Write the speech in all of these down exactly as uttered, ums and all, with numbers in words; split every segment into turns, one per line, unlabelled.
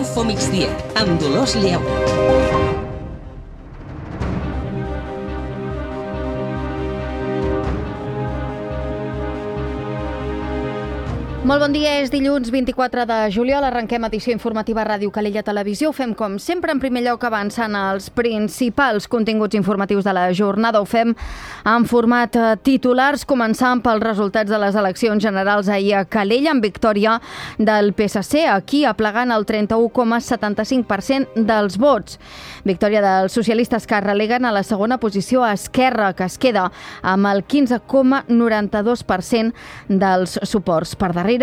Info Migdia, amb Dolors Lleu.
Molt bon dia, és dilluns vint-i-quatre de juliol, arrenquem edició informativa Ràdio Calella Televisió. Ho fem com sempre, en primer lloc avançant els principals continguts informatius de la jornada. Ho fem en format titulars, començant pels resultats de les eleccions generals ahir a Calella, amb victòria del P S C, aquí aplegant el trenta-u coma setanta-cinc per cent dels vots. Victòria dels socialistes, que releguen a la segona posició a Esquerra, que es queda amb el quinze coma noranta-dos per cent dels suports. Per darrere,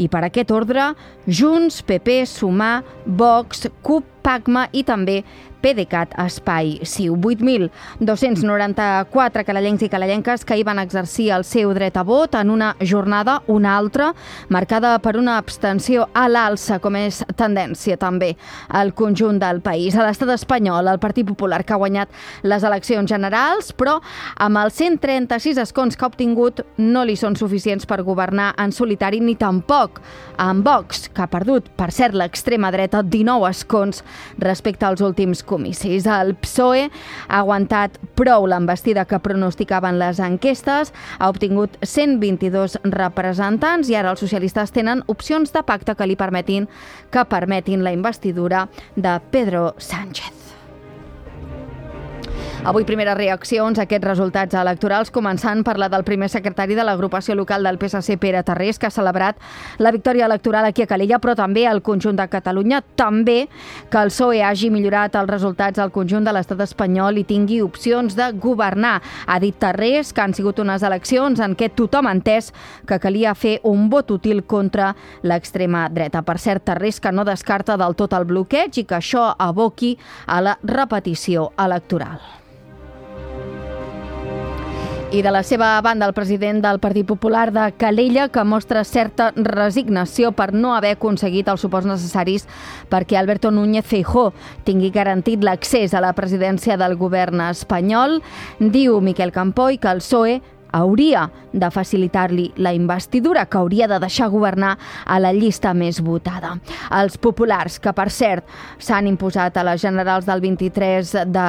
i per aquest ordre, Junts, P P, Sumar, Vox, CUP, PACMA i també PDeCAT, Espai Ciu. vuit mil dos-cents noranta-quatre calellencs i calellenques que hi van exercir el seu dret a vot en una jornada, una altra, marcada per una abstenció a l'alça, com és tendència també al conjunt del país. A l'estat espanyol, el Partit Popular, que ha guanyat les eleccions generals, però amb els cent trenta-sis escons que ha obtingut no li són suficients per governar en solitari, ni tampoc amb Vox, que ha perdut, per cert, l'extrema dreta, dinou escons respecte als últims comicis. El P S O E ha aguantat prou l'envestida que pronosticaven les enquestes, ha obtingut cent vint-i-dos representants i ara els socialistes tenen opcions de pacte que li permetin que permetin la investidura de Pedro Sánchez. Avui primeres reaccions a aquests resultats electorals, començant per la del primer secretari de l'agrupació local del P S C, Pere Tarrés, que ha celebrat la victòria electoral aquí a Calella, però també al conjunt de Catalunya, també que el P S O E hagi millorat els resultats al conjunt de l'estat espanyol i tingui opcions de governar. Ha dit Tarrés que han sigut unes eleccions en què tothom ha entès que calia fer un vot útil contra l'extrema dreta. Per cert, Tarrés que no descarta del tot el bloqueig i que això aboqui a la repetició electoral. I de la seva banda, el president del Partit Popular de Calella, que mostra certa resignació per no haver aconseguit els suports necessaris perquè Alberto Núñez Feijóo tingui garantit l'accés a la presidència del govern espanyol. Diu Miquel Campoy que el P S O E hauria de facilitar-li la investidura, que hauria de deixar governar a la llista més votada. Els populars, que per cert s'han imposat a les generals del vint-i-tres de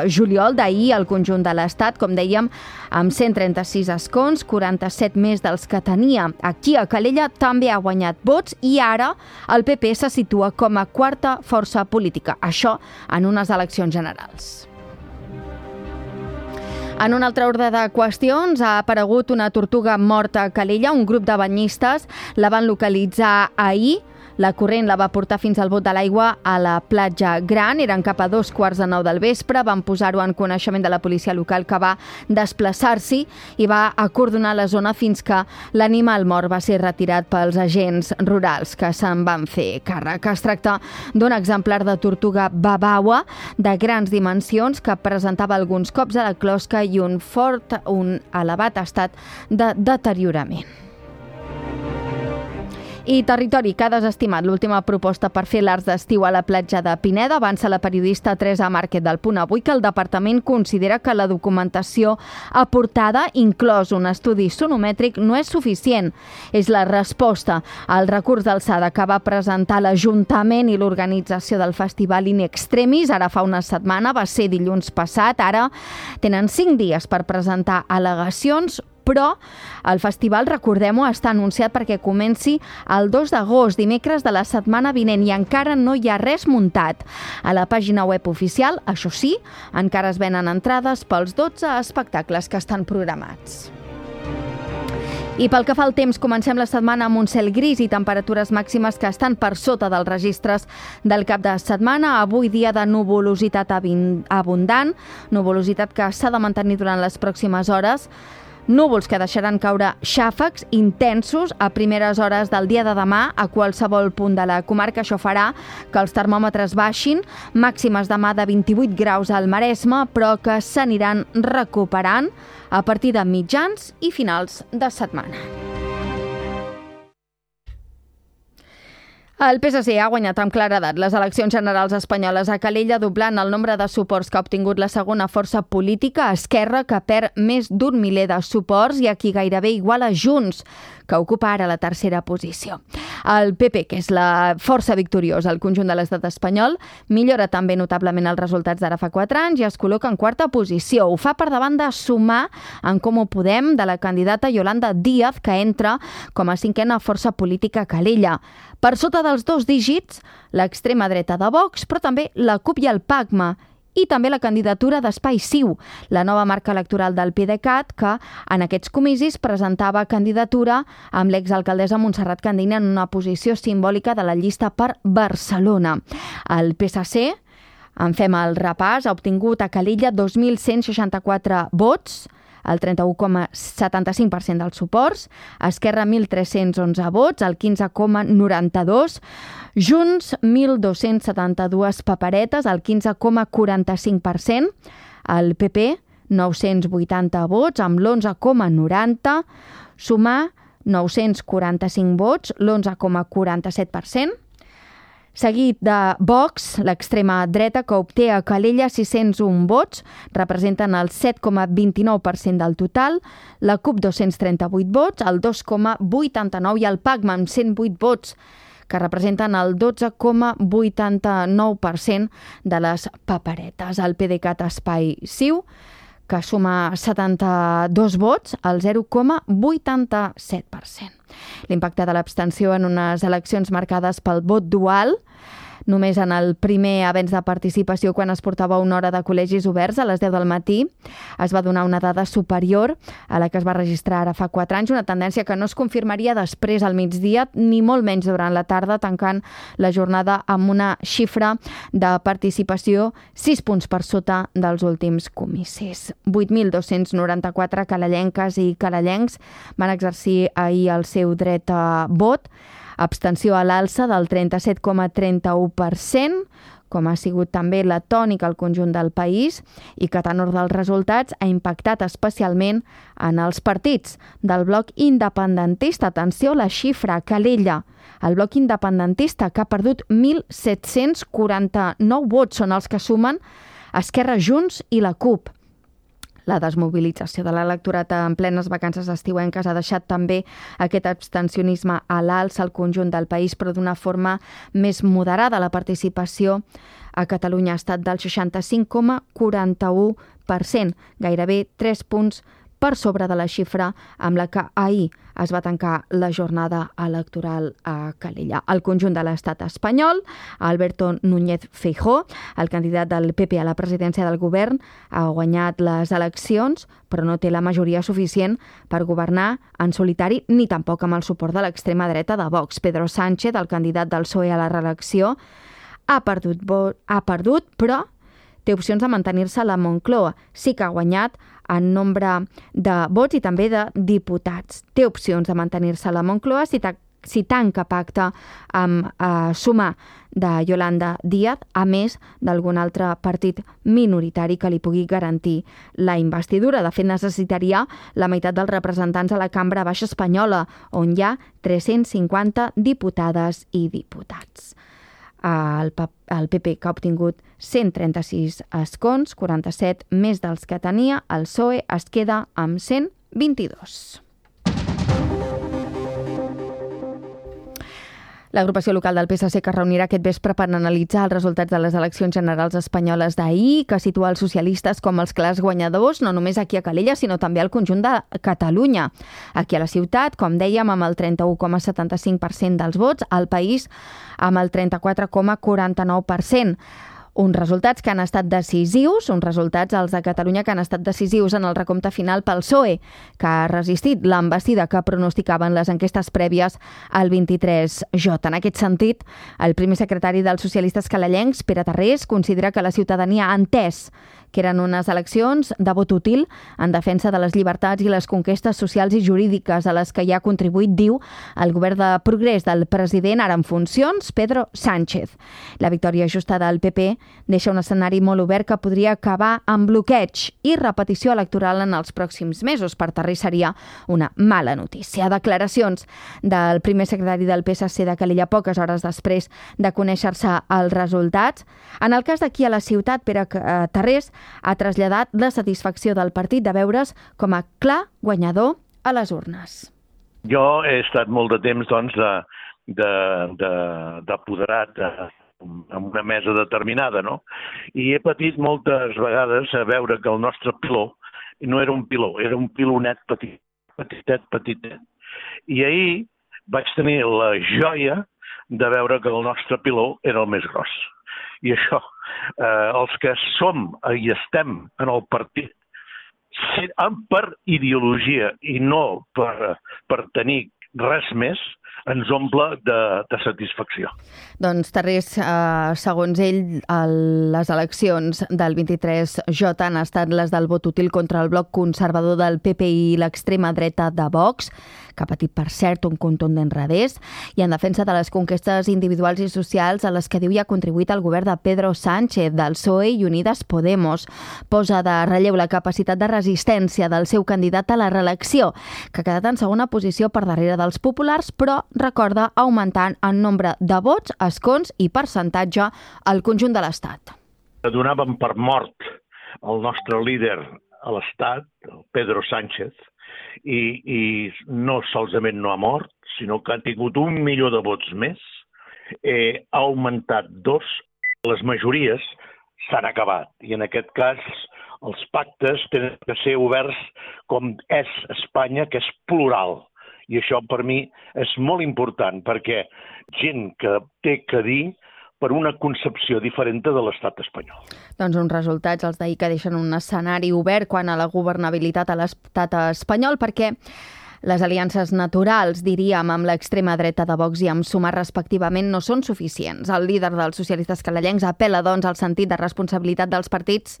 juliol d'ahir al conjunt de l'Estat, com dèiem, amb cent trenta-sis escons, quaranta-set més dels que tenia. Aquí a Calella també ha guanyat vots i ara el P P se situa com a quarta força política. Això en unes eleccions generals. En un altre ordre de qüestions, ha aparegut una tortuga morta a Calella. Un grup de banyistes la van localitzar ahir. La corrent la va portar fins al bot de l'aigua a la platja Gran. Eren cap a dos quarts de nou del vespre. Van posar-ho en coneixement de la policia local, que va desplaçar-s'hi i va acordonar la zona fins que l'animal mort va ser retirat pels agents rurals que se'n van fer càrrec. Es tracta d'un exemplar de tortuga babaua de grans dimensions que presentava alguns cops a la closca i un fort, un elevat estat de deteriorament. I Territori, que ha desestimat l'última proposta per fer l'arts d'estiu a la platja de Pineda. Avança la periodista Teresa Márquez del Punt Avui que el departament considera que la documentació aportada, inclòs un estudi sonomètric, no és suficient. És la resposta al recurs d'alçada que va presentar l'Ajuntament i l'organització del festival In Extremis. Ara fa una setmana, va ser dilluns passat. Ara tenen cinc dies per presentar al·legacions, però el festival, recordem-ho, està anunciat perquè comenci el dos d'agost, dimecres de la setmana vinent, i encara no hi ha res muntat. A la pàgina web oficial, això sí, encara es venen entrades pels dotze espectacles que estan programats. I pel que fa al temps, comencem la setmana amb un cel gris i temperatures màximes que estan per sota dels registres del cap de setmana. Avui dia de nuvolositat abundant, nuvolositat que s'ha de mantenir durant les pròximes hores. Núvols que deixaran caure xàfecs intensos a primeres hores del dia de demà a qualsevol punt de la comarca. Això farà que els termòmetres baixin, màximes demà de vint-i-vuit graus al Maresme, però que s'aniran recuperant a partir de mitjans i finals de setmana. El P S C ha guanyat amb claredat les eleccions generals espanyoles a Calella, doblant el nombre de suports que ha obtingut la segona força política, Esquerra, que perd més d'un miler de suports i a qui gairebé iguala Junts, que ocupa ara la tercera posició. El P P, que és la força victoriosa al conjunt de l'estat espanyol, millora també notablement els resultats d'ara fa quatre anys i es col·loca en quarta posició. Ho fa per davant de Sumar en Comú Podem de la candidata Yolanda Díaz, que entra com a cinquena força política a Calella. Per sota dels dos dígits, l'extrema dreta de Vox, però també la CUP i el PACMA, i també la candidatura d'Espai Ciu, la nova marca electoral del PDeCAT, que en aquests comicis presentava candidatura amb l'exalcaldessa Montserrat Candina en una posició simbòlica de la llista per Barcelona. El P S C, en fem el repàs, ha obtingut a Calella dos mil cent seixanta-quatre vots, el trenta-u coma setanta-cinc per cent dels suports, Esquerra mil tres-cents onze vots, el quinze coma noranta-dos, Junts mil dos-cents setanta-dues paperetes, el quinze coma quaranta-cinc per cent, el P P nou-cents vuitanta vots, amb l'onze coma noranta, Sumar nou-cents quaranta-cinc vots, l'onze coma quaranta-set per cent, seguit de Vox, l'extrema dreta, que obté a Calella sis-cents un vots, representen el set coma vint-i-nou per cent del total, la CUP dos-cents trenta-vuit vots, el dos coma vuitanta-nou i el PACMA amb cent vuit vots, que representen el dotze coma vuitanta-nou per cent de les paperetes. El PDeCAT Espai Ciu, que suma setanta-dos vots, el zero coma vuitanta-set per cent. L'impacte de l'abstenció en unes eleccions marcades pel vot dual, només en el primer avenç de participació, quan es portava una hora de col·legis oberts a les deu del matí, es va donar una dada superior a la que es va registrar ara fa quatre anys, una tendència que no es confirmaria després al migdia, ni molt menys durant la tarda, tancant la jornada amb una xifra de participació sis punts per sota dels últims comicis. vuit mil dos-cents noranta-quatre calellenques i calellencs van exercir ahir el seu dret a vot, abstenció a l'alça del trenta-set coma trenta-u per cent, com ha sigut també la tònica al conjunt del país, i que, a tenor dels resultats, ha impactat especialment en els partits del bloc independentista. Atenció a la xifra, Calella. El bloc independentista, que ha perdut mil set-cents quaranta-nou vots, són els que sumen Esquerra, Junts i la CUP. La desmobilització de l'electorat en plenes vacances estiuenques ha deixat també aquest abstencionisme a l'alça al conjunt del país, però d'una forma més moderada. La participació a Catalunya ha estat del seixanta-cinc coma quaranta-u per cent, gairebé tres punts per sobre de la xifra amb la que ahir es va tancar la jornada electoral a Calella. Al conjunt de l'estat espanyol, Alberto Núñez Feijóo, el candidat del P P a la presidència del govern, ha guanyat les eleccions, però no té la majoria suficient per governar en solitari, ni tampoc amb el suport de l'extrema dreta de Vox. Pedro Sánchez, el candidat del P S O E a la reelecció, ha perdut, ha perdut però té opcions de mantenir-se a la Moncloa. Sí que ha guanyat en nombre de vots i també de diputats. Té opcions de mantenir-se a la Moncloa si, ta, si tanca pacte amb eh, Sumar de Yolanda Díaz, a més d'algun altre partit minoritari que li pugui garantir la investidura. De fet, necessitaria la meitat dels representants a la Cambra Baixa espanyola, on hi ha tres-cents cinquanta diputades i diputats. El, el P P, que ha obtingut cent trenta-sis escons, quaranta-set més dels que tenia, el P S O E es queda amb cent vint-i-dos. L'agrupació local del P S C, que es reunirà aquest vespre per analitzar els resultats de les eleccions generals espanyoles d'ahir, que situa els socialistes com els clars guanyadors, no només aquí a Calella, sinó també al conjunt de Catalunya. Aquí a la ciutat, com dèiem, amb el trenta-u coma setanta-cinc per cent dels vots, al país amb el trenta-quatre coma quaranta-nou per cent. Uns resultats que han estat decisius, uns resultats els de Catalunya que han estat decisius en el recompte final pel P S O E, que ha resistit l'envestida que pronosticaven les enquestes prèvies al vint-i-tres J. En aquest sentit, el primer secretari dels socialistes calellencs, Pere Tarrés, considera que la ciutadania ha entès que eren unes eleccions de vot útil en defensa de les llibertats i les conquestes socials i jurídiques a les que hi ha contribuït, diu, el govern de progrés del president, ara en funcions, Pedro Sánchez. La victòria justa del P P deixa un escenari molt obert que podria acabar amb bloqueig i repetició electoral en els pròxims mesos. Per Tarrés seria una mala notícia. Declaracions del primer secretari del P S C de Calella poques hores després de conèixer-se els resultats. En el cas d'aquí a la ciutat, Pere Tarrés ha traslladat la satisfacció del partit de veure's com a clar guanyador a les urnes.
Jo he estat molt de temps doncs, d'apoderat de, de, de, en una mesa determinada, no? I he patit moltes vegades a veure que el nostre piló no era un piló, era un pilonet petit, petitet, petitet. I ahir vaig tenir la joia de veure que el nostre piló era el més gros. I això, eh, els que som i estem en el partit per ideologia i no per, per tenir res més, ens omple de, de satisfacció.
Doncs, Tarrés, eh, segons ell, el, les eleccions del vint-i-tres J han estat les del vot útil contra el bloc conservador del P P i l'extrema dreta de Vox, que ha patit, per cert, un contundent revés, i en defensa de les conquestes individuals i socials a les que diu hi ha contribuït el govern de Pedro Sánchez, del P S O E i Unidas Podemos. Posa de relleu la capacitat de resistència del seu candidat a la reelecció, que ha quedat en segona posició per darrere dels populars, però recorda augmentant en nombre de vots, escons i percentatge al conjunt de l'Estat.
Donàvem per mort el nostre líder a l'Estat, Pedro Sánchez, i, i no solament no ha mort, sinó que ha tingut un milió de vots més, eh, ha augmentat dos, les majories s'han acabat, i en aquest cas els pactes tenen que ser oberts com és Espanya, que és plural. I això per mi és molt important, perquè gent que té que dir per una concepció diferent de l'estat espanyol.
Doncs uns resultats, els d'ahir, que deixen un escenari obert quan a la governabilitat a l'estat espanyol, perquè les aliances naturals, diríem, amb l'extrema dreta de Vox i amb Sumar respectivament no són suficients. El líder dels socialistes calellencs apel·la, doncs, al sentit de responsabilitat dels partits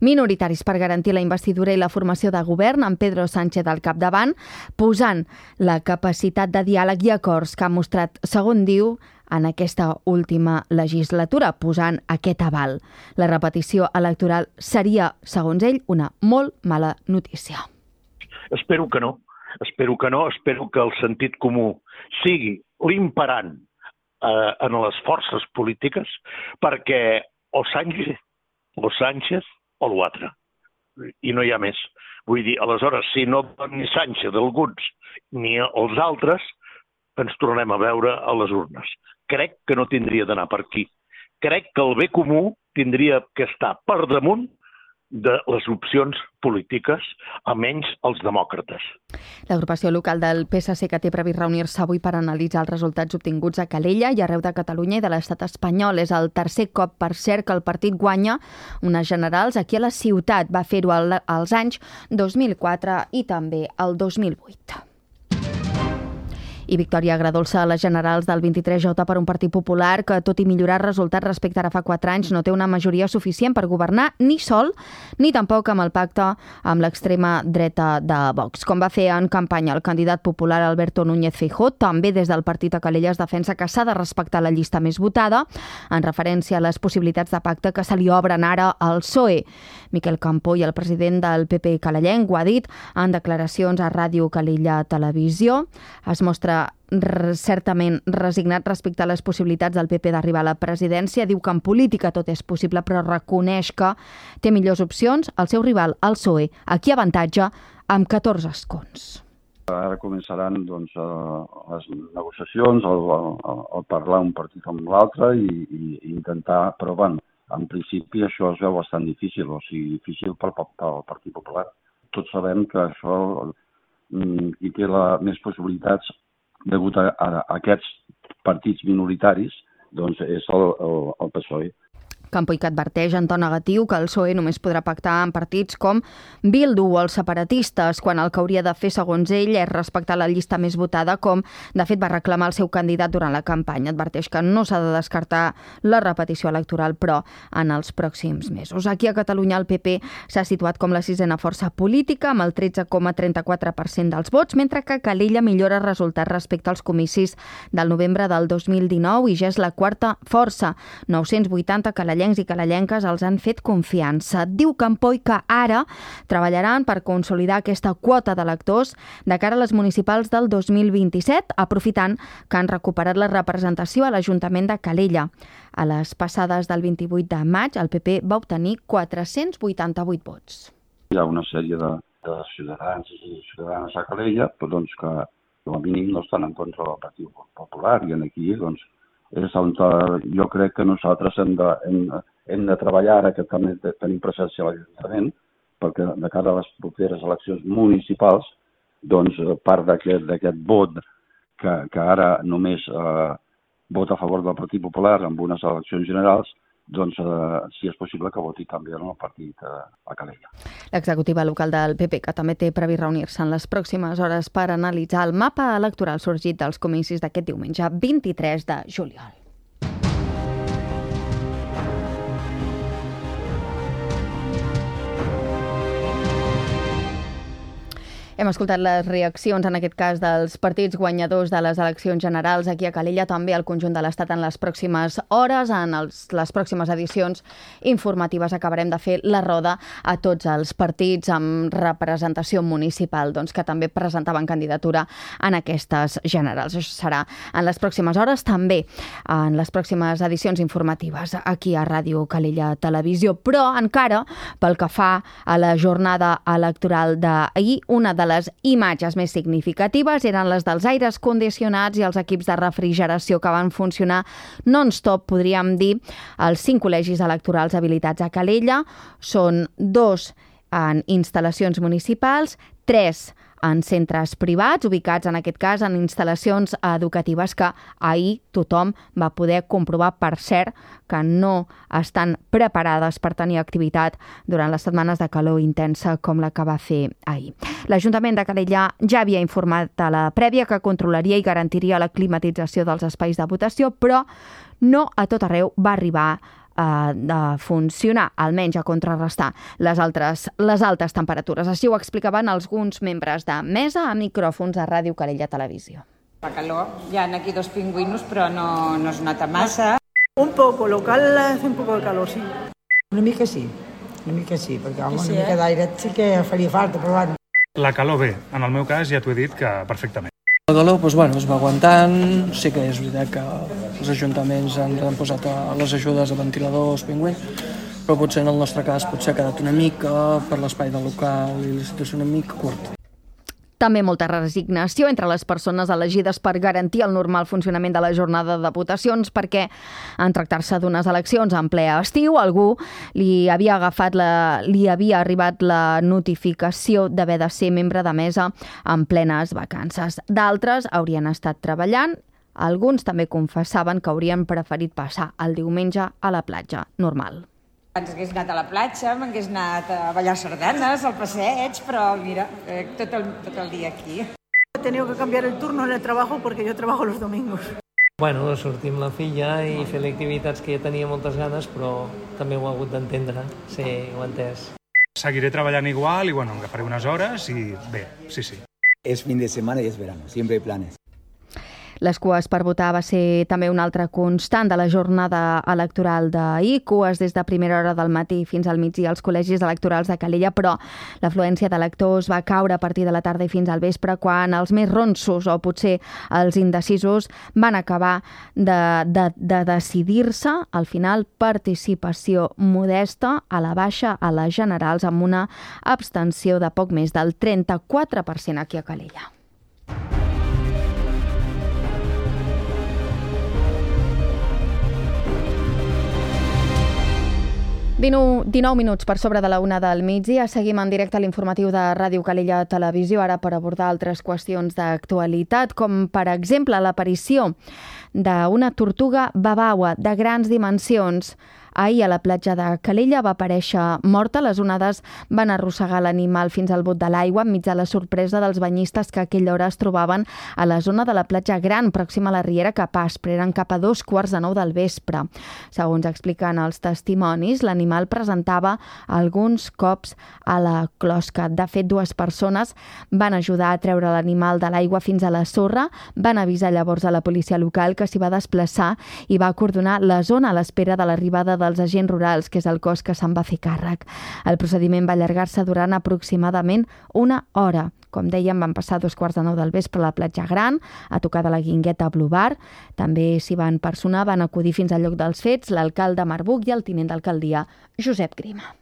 minoritaris per garantir la investidura i la formació de govern, amb Pedro Sánchez al capdavant, posant la capacitat de diàleg i acords que ha mostrat, segons diu, en aquesta última legislatura, posant aquest aval. La repetició electoral seria, segons ell, una molt mala notícia.
Espero que no. Espero que no. Espero que el sentit comú sigui l'imperant eh, en les forces polítiques, perquè o Sánchez, o Sánchez o l'altre. I no hi ha més. Vull dir, aleshores, si no ni Sánchez d'alguns ni els altres, ens tornem a veure a les urnes. Crec que no tindria d'anar per aquí. Crec que el bé comú tindria que estar per damunt de les opcions polítiques, almenys els demòcrates.
L'agrupació local del P S C, que té previst reunir-se avui per analitzar els resultats obtinguts a Calella i arreu de Catalunya i de l'estat espanyol. És el tercer cop, per cert, que el partit guanya unes generals aquí a la ciutat. Va fer-ho als anys dos mil quatre i també el dos mil vuit. I victòria agradolça a les generals del vint-i-tres J per un Partit Popular que, tot i millorar resultats respecte ara fa quatre anys, no té una majoria suficient per governar ni sol, ni tampoc amb el pacte amb l'extrema dreta de Vox. Com va fer en campanya el candidat popular Alberto Núñez Feijóo, també des del partit a Calella es defensa que s'ha de respectar la llista més votada, en referència a les possibilitats de pacte que se li obren ara al P S O E. Miquel Campó, i el president del P P calellenc, ho ha dit en declaracions a Ràdio Calella Televisió. Es mostra certament resignat respecte a les possibilitats del P P d'arribar a la presidència. Diu que en política tot és possible, però reconeix que té millors opcions el seu rival, el P S O E. Aquí avantatge amb catorze escons.
Ara començaran doncs, les negociacions, el, el, el parlar un partit amb l'altre i, i intentar, però bueno, en principi això es veu bastant difícil, o sigui, difícil pel, pel Partit Popular. Tots sabem que això qui té la, més possibilitats degut a, a, a aquests partits minoritaris doncs és el, el, el P S O E.
Campoy que adverteix en to negatiu que el P S O E només podrà pactar amb partits com Bildu o els separatistes, quan el que hauria de fer, segons ell, és respectar la llista més votada, com de fet va reclamar el seu candidat durant la campanya. Adverteix que no s'ha de descartar la repetició electoral, però en els pròxims mesos. Aquí a Catalunya el P P s'ha situat com la sisena força política, amb el tretze coma trenta-quatre per cent dels vots, mentre que Calella millora resultats respecte als comicis del novembre del dos mil dinou i ja és la quarta força. nou-cents vuitanta calellencs i calellenques els han fet confiança. Diu Campoy que ara treballaran per consolidar aquesta quota d'electors de cara a les municipals del dos mil vint-i-set, aprofitant que han recuperat la representació a l'Ajuntament de Calella. A les passades del vint-i-vuit de maig, el P P va obtenir quatre-cents vuitanta-vuit vots.
Hi ha una sèrie de, de ciutadans i ciutadanes a Calella però, doncs, que com a mínim no estan en contra del Partit Popular, i aquí doncs, és on jo crec que nosaltres hem de, hem, hem de treballar, ara que també tenim presència a l'Ajuntament, perquè de cara a les properes eleccions municipals, doncs part d'aquest vot que, que ara només eh, vota a favor del Partit Popular en unes eleccions generals, doncs, eh, si és possible que voti també en el partit eh, a Calella.
L'executiva local del P P, que també té previst reunir-se en les pròximes hores per analitzar el mapa electoral sorgit dels comicis d'aquest diumenge vint-i-tres de juliol. Hem escoltat les reaccions, en aquest cas, dels partits guanyadors de les eleccions generals aquí a Calella, també al conjunt de l'Estat en les pròximes hores. En els, les pròximes edicions informatives acabarem de fer la roda a tots els partits amb representació municipal, doncs, que també presentaven candidatura en aquestes generals. Això serà en les pròximes hores, també en les pròximes edicions informatives aquí a Ràdio Calella Televisió. Però encara, pel que fa a la jornada electoral d'ahir, una de les imatges més significatives eren les dels aires condicionats i els equips de refrigeració que van funcionar non-stop, podríem dir, als cinc col·legis electorals habilitats a Calella. Són dos en instal·lacions municipals, tres en centres privats, ubicats en aquest cas en instal·lacions educatives que ahir tothom va poder comprovar, per cert, que no estan preparades per tenir activitat durant les setmanes de calor intensa com la que va fer ahir. L'Ajuntament de Calella ja havia informat a la prèvia que controlaria i garantiria la climatització dels espais de votació, però no a tot arreu va arribar de funcionar, almenys a contrarrestar les altres, les altes temperatures. Així ho explicaven alguns membres de mesa a micròfons a Ràdio Calella Televisió.
La calor, hi ha aquí dos pingüinos, però no, no es nota massa.
Un poco, local hace un poco de calor, sí.
Una mica sí, una mica sí, perquè home, una mica d'aire sí que faria falta, però bueno.
La calor bé, en el meu cas ja t'ho he dit que perfectament.
La calor doncs, bueno, es va aguantant, sí que és veritat que els ajuntaments han, han posat a les ajudes de ventiladors, pingüins, però potser en el nostre cas potser ha quedat una mica per l'espai del local i la situació una mica curta.
També molta resignació entre les persones elegides per garantir el normal funcionament de la jornada de votacions, perquè en tractar-se d'unes eleccions en ple estiu, algú li havia agafat la, li havia arribat la notificació d'haver de ser membre de mesa en plenes vacances. D'altres haurien estat treballant. Alguns també confessaven que haurien preferit passar el diumenge a la platja normal.
Ens hagués anat a la platja, m'hagués anat a ballar sardanes, al passeig, però mira, eh, tot, el, tot el dia aquí.
He tenido que cambiar el turno en el trabajo porque yo trabajo los domingos.
Bueno, sortir amb la filla i fer activitats que ja tenia moltes ganes, però també ho he hagut d'entendre, sí, ho he entès.
Seguiré treballant igual i bueno, agafaré unes hores i bé, sí, sí.
Es fin de semana y es verano, siempre hay planes.
Les cues per votar va ser també una altra constant de la jornada electoral d'ahir. Cues des de primera hora del matí fins al migdia als col·legis electorals de Calella, però l'afluència d'electors va caure a partir de la tarda i fins al vespre, quan els més ronsos o potser els indecisos van acabar de, de, de decidir-se. Al final, participació modesta a la baixa a les generals, amb una abstenció de poc més del trenta-quatre per cent aquí a Calella. dinou minuts per sobre de la una del migdia. Seguim en directe a l'informatiu de Ràdio Calella Televisió, ara per abordar altres qüestions d'actualitat, com per exemple l'aparició d'una tortuga babaua de grans dimensions. Ahir a la platja de Calella va aparèixer morta. Les onades van arrossegar l'animal fins al bot de l'aigua enmig de la sorpresa dels banyistes que a aquella hora es trobaven a la zona de la platja Gran, pròxima a la Riera cap a Aspre. Eren cap a dos quarts de nou del vespre. Segons expliquen els testimonis, l'animal presentava alguns cops a la closca. De fet, dues persones van ajudar a treure l'animal de l'aigua fins a la sorra, van avisar llavors a la policia local, que s'hi va desplaçar i va acordonar la zona a l'espera de l'arribada dels agents rurals, que és el cos que se'n va fer càrrec. El procediment va allargar-se durant aproximadament una hora. Com dèiem, van passar dos quarts de nou del vespre a la platja Gran, a tocar de la Guingueta Blue Bar. També s'hi van personar, van acudir fins al lloc dels fets l'alcalde Marbuc i el tinent d'alcaldia Josep Grima.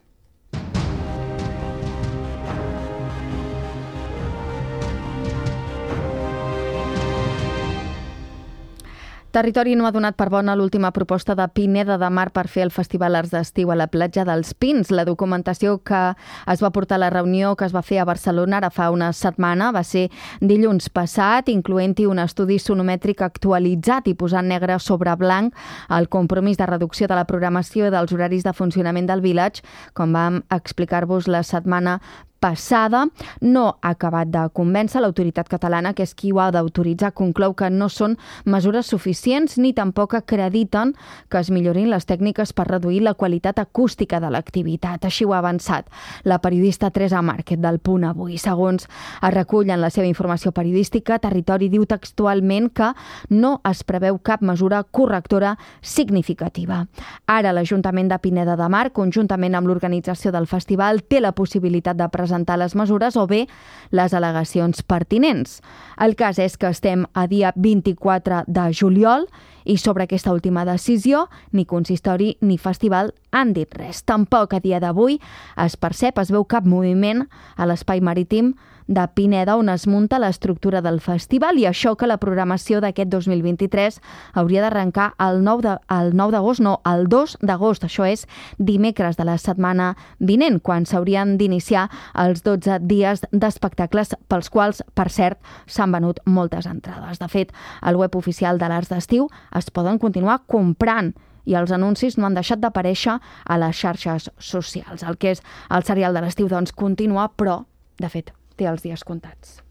Territori no ha donat per bona l'última proposta de Pineda de Mar per fer el Festival Arts d'Estiu a la platja dels Pins. La documentació que es va portar a la reunió que es va fer a Barcelona ara fa una setmana va ser dilluns passat, incloent-hi un estudi sonomètric actualitzat i posant negre sobre blanc el compromís de reducció de la programació i dels horaris de funcionament del Village, com vam explicar-vos la setmana passada. No ha acabat de convèncer l'autoritat catalana, que és qui ho ha d'autoritzar. Conclou que no són mesures suficients ni tampoc acrediten que es millorin les tècniques per reduir la qualitat acústica de l'activitat. Així ho ha avançat la periodista Teresa Márquez del Punt Avui. Segons es recull en la seva informació periodística, Territori diu textualment que no es preveu cap mesura correctora significativa. Ara l'Ajuntament de Pineda de Mar, conjuntament amb l'organització del festival, té la possibilitat de presentar presentar les mesures o bé les al·legacions pertinents. El cas és que estem a dia vint-i-quatre de juliol i sobre aquesta última decisió ni consistori ni festival han dit res. Tampoc a dia d'avui es percep, es veu cap moviment a l'espai marítim de Pineda on es munta l'estructura del festival, i això que la programació d'aquest dos mil vint-i-tres hauria d'arrencar el nou d'agost, no, el dos d'agost, això és dimecres de la setmana vinent, quan s'haurien d'iniciar els dotze dies d'espectacles pels quals, per cert, s'han venut moltes entrades. De fet, al web oficial de l'Arts d'Estiu es poden continuar comprant i els anuncis no han deixat d'aparèixer a les xarxes socials. El que és el serial de l'estiu, doncs, continua, però, de fet, té els dies comptats.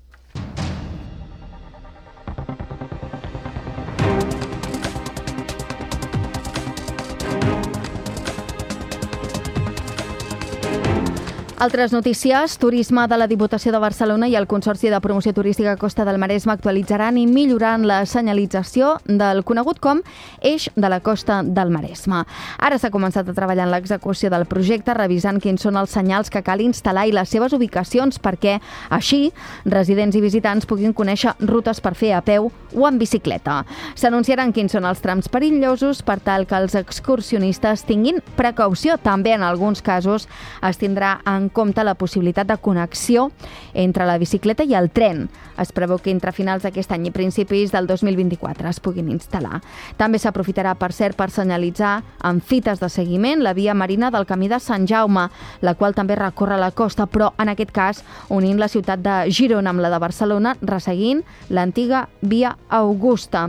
Altres notícies. Turisme de la Diputació de Barcelona i el Consorci de Promoció Turística Costa del Maresme actualitzaran i milloraran la senyalització del conegut com Eix de la Costa del Maresme. Ara s'ha començat a treballar en l'execució del projecte, revisant quins són els senyals que cal instal·lar i les seves ubicacions perquè així residents i visitants puguin conèixer rutes per fer a peu o en bicicleta. S'anunciaran quins són els trams perillosos per tal que els excursionistes tinguin precaució. També en alguns casos es tindrà en compte la possibilitat de connexió entre la bicicleta i el tren. Es preveu que entre finals d'aquest any i principis del dos mil vint-i-quatre es puguin instal·lar. També s'aprofitarà, per cert, per senyalitzar amb fites de seguiment la via marina del Camí de Sant Jaume, la qual també recorre la costa, però en aquest cas unint la ciutat de Girona amb la de Barcelona, resseguint l'antiga via Augusta.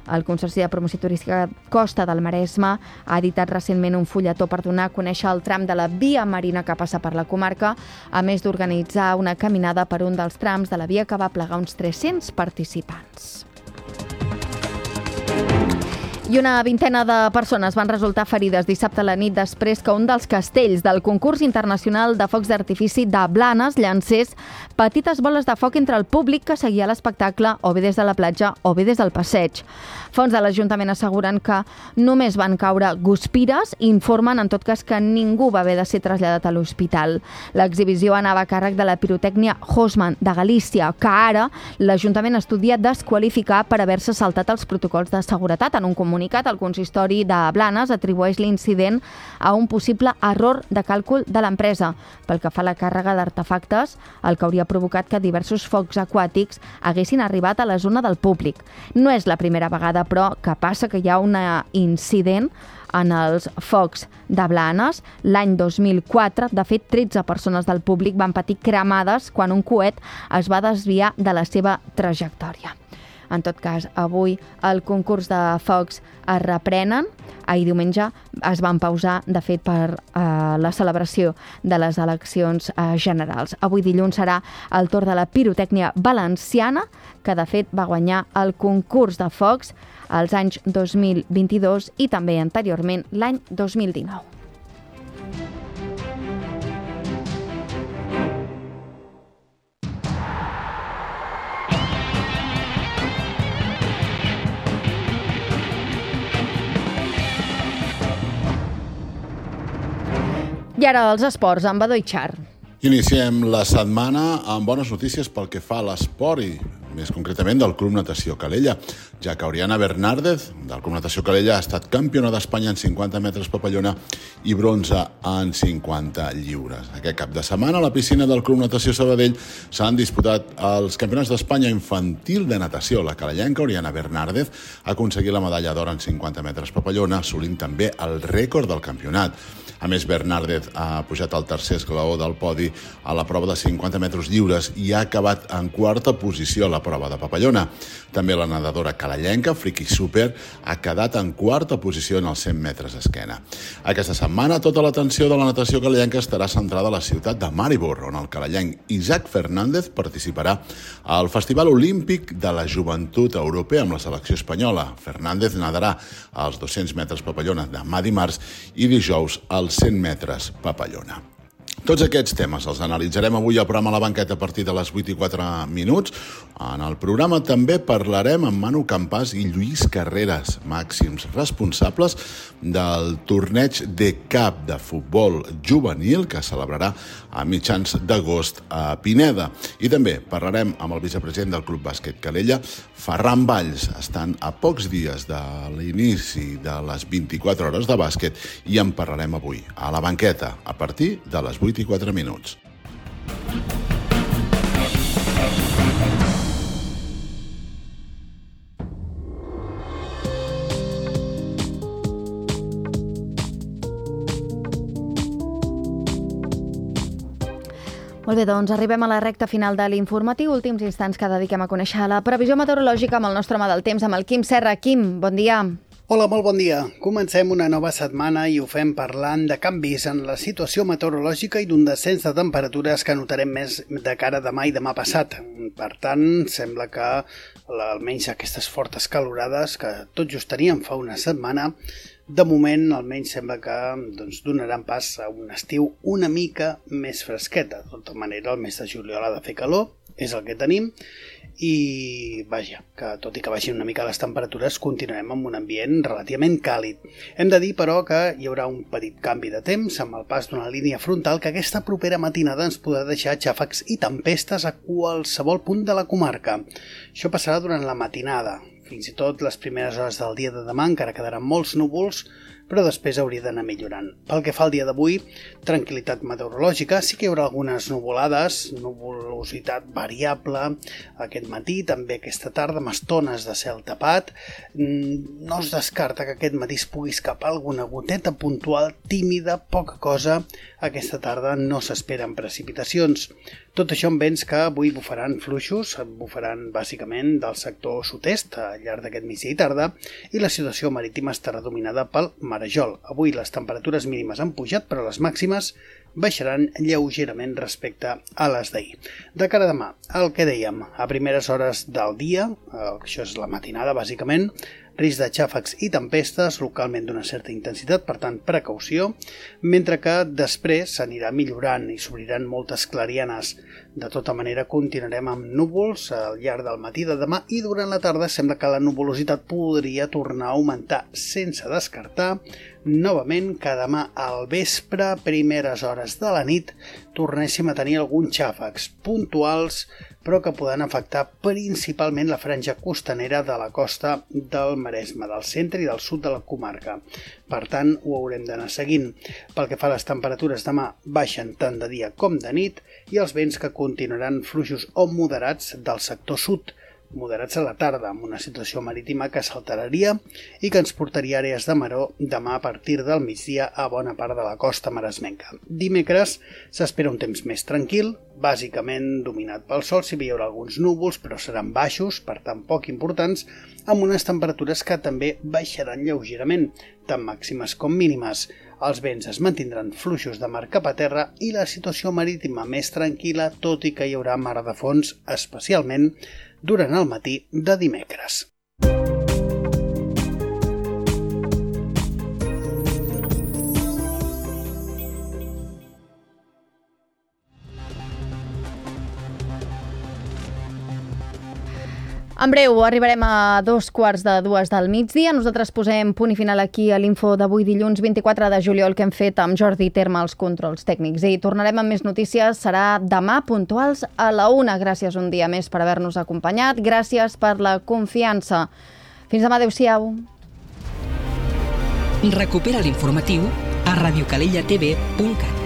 El Consorci de Promoció Turística Costa del Maresme ha editat recentment un fulletó per donar a conèixer el tram de la via marina que passa per la comarca, a més d'organitzar una caminada per un dels trams de la via que va plegar uns tres-cents participants. I una vintena de persones van resultar ferides dissabte a la nit després que un dels castells del concurs internacional de focs d'artifici de Blanes llancés petites boles de foc entre el públic que seguia l'espectacle o bé des de la platja o bé des del passeig. Fons de l'Ajuntament asseguren que només van caure guspires i informen en tot cas que ningú va haver de ser traslladat a l'hospital. L'exhibició anava a càrrec de la pirotècnia Hosman de Galícia, que ara l'Ajuntament estudia desqualificar per haver-se saltat els protocols de seguretat. En un comunicat, el consistori de Blanes atribueix l'incident a un possible error de càlcul de l'empresa pel que fa a la càrrega d'artefactes, el que hauria provocat que diversos focs aquàtics haguessin arribat a la zona del públic. No és la primera vegada, però, que passa que hi ha un incident en els focs de Blanes. L'any dos mil quatre, de fet, tretze persones del públic van patir cremades quan un coet es va desviar de la seva trajectòria. En tot cas, avui el concurs de focs es reprenen. Ahir diumenge es van pausar, de fet, per eh, la celebració de les eleccions eh, generals. Avui dilluns serà el torn de la pirotècnia valenciana, que de fet va guanyar el concurs de focs als anys dos mil vint-i-dos i també anteriorment l'any dos mil dinou. I ara els esports, amb Badó i Char.
Iniciem la setmana amb bones notícies pel que fa a l'esport i més concretament del Club Natació Calella, ja que Oriana Bernárdez, del Club Natació Calella, ha estat campiona d'Espanya en cinquanta metres papallona i bronze en cinquanta lliures. Aquest cap de setmana a la piscina del Club Natació Sabadell s'han disputat els campionats d'Espanya infantil de natació. La calellenca Oriana Bernárdez ha aconseguit la medalla d'or en cinquanta metres papallona, assolint també el rècord del campionat. A més, Bernárdez ha pujat al tercer esglaó del podi a la prova de cinquanta metres lliures i ha acabat en quarta posició a la prova de papallona. També la nedadora calellenca, Friki Super, ha quedat en quarta posició en els cent metres esquena. Aquesta setmana, tota l'atenció de la natació calellenca estarà centrada a la ciutat de Maribor, on el calellenc Isaac Fernández participarà al Festival Olímpic de la Joventut Europea amb la selecció espanyola. Fernández nadarà als dos-cents metres papallona demà dimarts i dijous als cent metres papallona. Tots aquests temes els analitzarem avui al programa La Banqueta a partir de les vuit i quatre minuts. En el programa també parlarem amb Manu Campàs i Lluís Carreras, màxims responsables del torneig de cap de futbol juvenil que celebrarà a mitjans d'agost a Pineda. I també parlarem amb el vicepresident del Club Bàsquet Calella, Ferran Valls. Estan a pocs dies de l'inici de les vint-i-quatre hores de bàsquet i en parlarem avui a La Banqueta a partir de les vuit i quatre minuts.
Molt bé, doncs arribem a la recta final de l'informatiu, últims instants que dediquem a conèixer la previsió meteorològica amb el nostre home del temps, amb el Quim Serra. Quim, bon dia.
Hola, molt bon dia. Comencem una nova setmana i ho fem parlant de canvis en la situació meteorològica i d'un descens de temperatures que notarem més de cara a demà i demà passat. Per tant, sembla que almenys aquestes fortes calorades que tot just teníem fa una setmana, de moment almenys sembla que doncs, donaran pas a un estiu una mica més fresqueta. De tota manera, el mes de juliol ha de fer calor, és el que tenim, i vaja, que tot i que baixin una mica les temperatures continuarem amb un ambient relativament càlid. Hem de dir, però, que hi haurà un petit canvi de temps amb el pas d'una línia frontal que aquesta propera matinada ens podrà deixar xàfecs i tempestes a qualsevol punt de la comarca. Això passarà durant la matinada. Fins i tot les primeres hores del dia de demà encara quedaran molts núvols, però després hauria d'anar millorant. Pel que fa al dia d'avui, tranquil·litat meteorològica, sí que hi haurà algunes nuvolades, nuvolositat variable aquest matí, també aquesta tarda, amb estones de cel tapat. No es descarta que aquest matí es pugui escapar alguna goteta puntual, tímida, poca cosa. Aquesta tarda no s'esperen precipitacions. Tot això amb vents que avui bufaran fluixos, bufaran bàsicament del sector sud-est al llarg d'aquest migdia i tarda, i la situació marítima estarà dominada pel marejol. Avui les temperatures mínimes han pujat, però les màximes baixaran lleugerament respecte a les d'ahir. De cara a demà, el que dèiem, a primeres hores del dia, això és la matinada bàsicament, risc de xàfecs i tempestes, localment d'una certa intensitat, per tant, precaució, mentre que després s'anirà millorant i s'obriran moltes clarianes. De tota manera, continuarem amb núvols al llarg del matí de demà i durant la tarda sembla que la nuvolositat podria tornar a augmentar, sense descartar novament que demà al vespre, primeres hores de la nit, tornéssim a tenir alguns xàfecs puntuals, però que poden afectar principalment la franja costanera de la costa del Maresme, del centre i del sud de la comarca. Per tant, ho haurem d'anar seguint. Pel que fa a les temperatures, demà baixen tant de dia com de nit i els vents que continuaran fluixos o moderats del sector sud, moderats a la tarda, amb una situació marítima que s'alteraria i que ens portaria àrees de maró demà a partir del migdia a bona part de la costa maresmenca. Dimecres s'espera un temps més tranquil, bàsicament dominat pel sol, si hi haurà alguns núvols, però seran baixos, per tant poc importants, amb unes temperatures que també baixaran lleugerament, tant màximes com mínimes. Els vents es mantindran fluixos de mar cap a terra i la situació marítima més tranquil·la, tot i que hi haurà mar de fons, especialment durant el matí de dimecres.
En breu arribarem a dos quarts de dues del migdia. Nosaltres posem punt i final aquí a l'info d'avui dilluns vint-i-quatre de juliol que hem fet amb Jordi Terma als controls tècnics. I tornarem amb més notícies. Serà demà puntuals a la una. Gràcies un dia més per haver-nos acompanyat. Gràcies per la confiança. Fins demà. Adéu-siau.
Recupera l'informatiu a radiocalellatv punt cat.